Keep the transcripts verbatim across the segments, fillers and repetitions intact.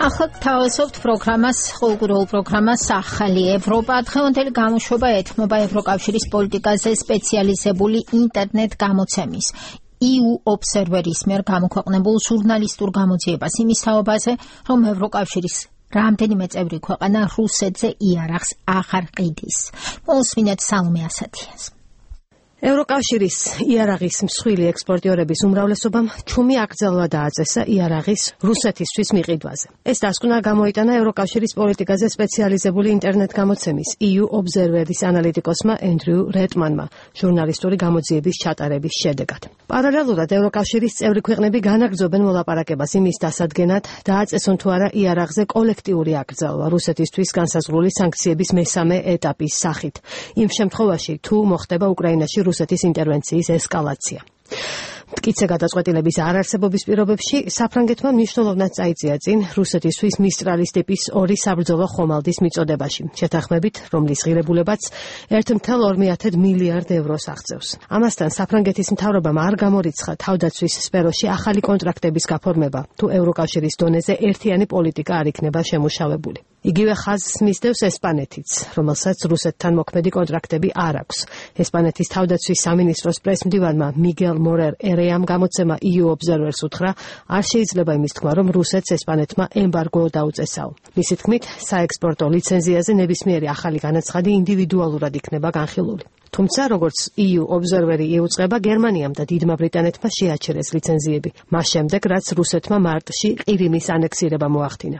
ახლა თავისუფლ პროგრამას, კულტურულ პროგრამას ახალი ევროპა დღევანდელი გამოშვება ეთმობა ევროკავშირის პოლიტიკაზე სპეციალიზებული ინტერნეტ გამოცემის ი იუ ობსერვერის მიერ გამოქვეყნებულ ჟურნალისტურ გამოძიებას იმის თაობაზე, რომ ევროკავშირის რამდენიმე წევრი ქვეყანა რუსეთზე იარაღს აღარ ყიდის. მოსმინეთ სალომე ასათიანს. ევროკავშირის იარაღის მსხვილი ექსპორტიორების უმრავლესობამ ჩუმი აკრძალვა დააწესა იარაღის რუსეთისთვის მიყიდვაზე. ეს დასკვნა გამოიტანა ევროკავშირის პოლიტიკაზე სპეციალიზებული ინტერნეტ გამოცემის ი იუ ობსერვერის ანალიტიკოსმა ენდრიუ რეტმანმა ჟურნალისტური გამოძიების ჩატარების შედეგად. პარალელურად ევროკავშირის წევრი ქვეყნები განაგრძობენ მოლაპარაკებას იმის დასადგენად, დააწესონ თუ არა იარაღზე კოლექტიური აკრძალვა რუსეთისთვის განსაზღვრული სანქციების მესამე ეტაპის სახით. იმ შემთხვევაში, თუ მოხდება უკრაინაში რუსეთის ინტერვენციის ესკალაცია. მტკიცე გადაწყვეტილების არარსებობის პირობებში საფრანგეთმა მნიშვნელოვნად წაიწია წინ რუსეთისთვის მისტრალის ტიპის ორი საბრძოლო ხომალდის მიწოდებაში, შეთანხმებით, რომლის ღირებულებაც ერთ წუთი ორ მილიარდ ევროს აღწევს. ამასთან საფრანგეთის მთავრობამ არ გამორიცხა თავდაცვის სფეროში ახალი კონტრაქტების გაფორმება, თუ ევროკავშირის დონეზე ერთიანი პოლიტიკა არ იქნება შემუშავებული. იგივე ხაზს მისდევს ესპანეთიც, რომელსაც რუსეთთან მოქმედი კონტრაქტები არ აქვს. ესპანეთის თავდაცვის სამინისტროს პრესმდივანმა მიგელ მორერ ერეამ გამოცემა ი იუ ობსერვერს უთხრა, არ შეიძლება იმის თქმა, რომ რუსეთს ესპანეთმა ემბარგო დაუწესაო. მისი თქმით, საექსპორტო ლიცენზიაზე ნებისმიერი ახალი განაცხადი ინდივიდუალურად იქნება განხილული. თუმცა, როგორც ი იუ ობსერვერი იუწყება, გერმანიამ და დიდმა ბრიტანეთმა შეაჩერეს ლიცენზიები, მას შემდეგ, რაც რუსეთმა მარტში ყირიმის ანექსირება მოახდინა.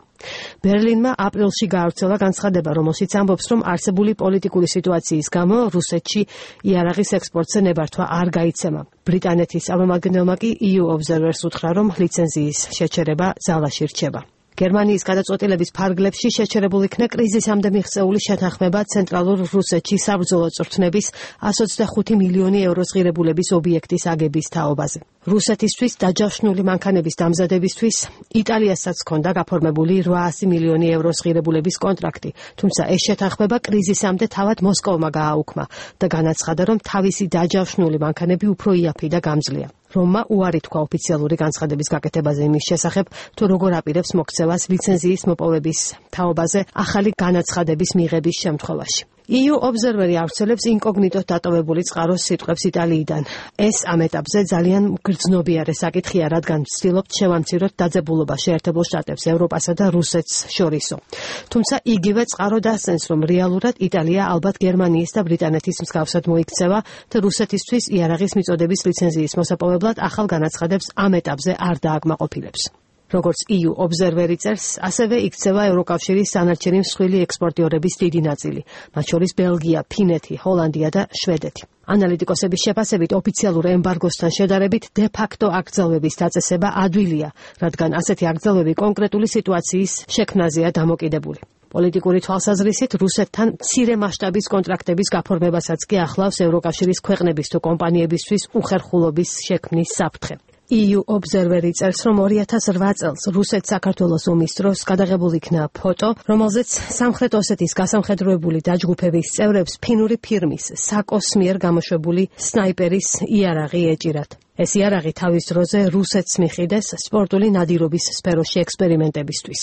ბერლინმა აპრილში გაავრცელა განცხადება, რომელშიც ამბობს, რომ არსებული პოლიტიკური სიტუაციის გამო რუსეთში იარაღის ექსპორტზე ნებართვა არ გაიცემა. ბრიტანეთის წარმომადგენელმა კი ი იუ ობსერვერს უთხრა, რომ ლიცენზიის შეჩერება ძალაში რჩება. გერმანიის გადაწყვეტილების ფარგლებში შეჩერებულ იქნა კრიზისამდე მიღწეული შეთანხმება ცენტრალურ რუსეთში საბრძოლო წვრთნების εκατს ოცდახუთი მილიონი ევროს ღირებულების ობიექტის აგების თაობაზე. რუსეთისთვის დაჯავშნული მანქანების დამზადებისთვის იტალიასაც ჰქონდა გაფორმებული რვაასი მილიონი ევროს ღირებულების კონტრაქტი, თუმცა ეს შეთანხმება კრიზისამდე თავად მოსკოვმა გააუქმა და განაცხადა, რომ თავისი დაჯავშნული მანქანები უფრო იაფი და გამძლეა. რომმა უარი თქვა ოფიციალური განცხადების გაკეთებაზე იმის შესახებ, თუ როგორ აპირებს მოქცევას ლიცენზიის მოპოვების თაობაზე ახალი განაცხადების მიღების შემთხვევაში. ი იუ ობსერვერი ავრცელებს ინკოგნიტოდ დატოვებული წყაროს სიტყვებს იტალიიდან. ეს ამ ეტაპზე ძალიან გრძნობიარე საკითხია, რადგან ვცდილობთ შევამციროთ დაძაბულობა შეერთებულ შტატებს, ევროპასა და რუსეთს შორისო. თუმცა იგივე წყარო დასცენს, რომ რეალურად იტალია ალბათ გერმანიის და ბრიტანეთის მსგავსად მოიქცევა და რუსეთისთვის იარაღის მიწოდების ლიცენზიის მოსაპოვებლად ახალ განაცხადებს ამ ეტაპზე არ დააკმაყოფილებს. როგორც ი იუ ობსერვერი წერს, ასევე იქცევა ევროკავშირის დანარჩენი მსხვილი ექსპორტიორების დიდი ნაწილი, მათ შორის ბელგია, ფინეთი, ჰოლანდია და შვედეთი. ანალიტიკოსების შეფასებით ოფიციალურ ემბარგოსთან შედარებით დე-ფაქტო აკრძალვების დაწესება ადვილია, რადგან ასეთი აკრძალვები კონკრეტული სიტუაციის შექმნაზეა დამოკიდებული. პოლიტიკური თვალსაზრისით რუსეთთან მცირე მასშტაბის კონტრაქტების გაფორმებასაც კი ახლავს ევროკავშირის ქვეყნების თუ კომპანიებისთვის უხერხულობის შექმნის საფრთხე. ი იუ ობსერვერი წერს, რომ ორი ათას რვა წელს რუსეთ-საქართველოს ომის დროს გადაღებულ იქნა ფოტო, რომელზეც სამხრეთ ოსეთის გასამხედროებული დაჯგუფების წევრებს ფინური ფირმის საკოს მიერ გამოშვებული სნაიპერის იარაღი ეჭირათ. ეს იარაღი თავის დროზე რუსეთს მიყიდეს სპორტული ნადირობის სფეროში ექსპერიმენტებისთვის.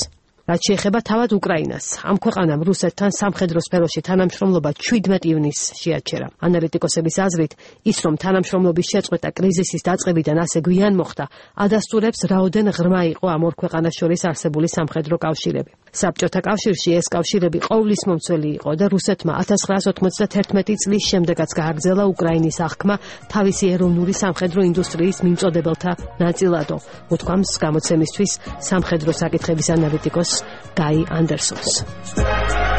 რაც შეეხება თავად უკრაინას, ამ ქვეყანამ რუსეთთან სამხედრო სფეროში თანამშრომლობა შვიდმეტი ივნისს შეაჩერა. ანალიტიკოსების აზრით, ის რომ თანამშრომლობის შეწყვეტა კრიზისის დაწყებიდან ასე გვიან მოხდა, ადასტურებს რაოდენ ღრმა იყო ამ ორ ქვეყანას შორის არსებული სამხედრო კავშირები. საბჭოთა კავშირში ეს კავშირები ყოვლის მომცველი იყო და რუსეთმა ათას ცხრაას ოცდაათი წლის შემდეგაც გააგრძელა უკრაინის აღქმა თავისი ეროვნული სამხედრო ინდუსტრიის მიმწოდებელთა ნაწილადო, უთქვამს გამოცემისთვის სამხედრო საკითხების ანალიტიკოს გაი ანდერსონს.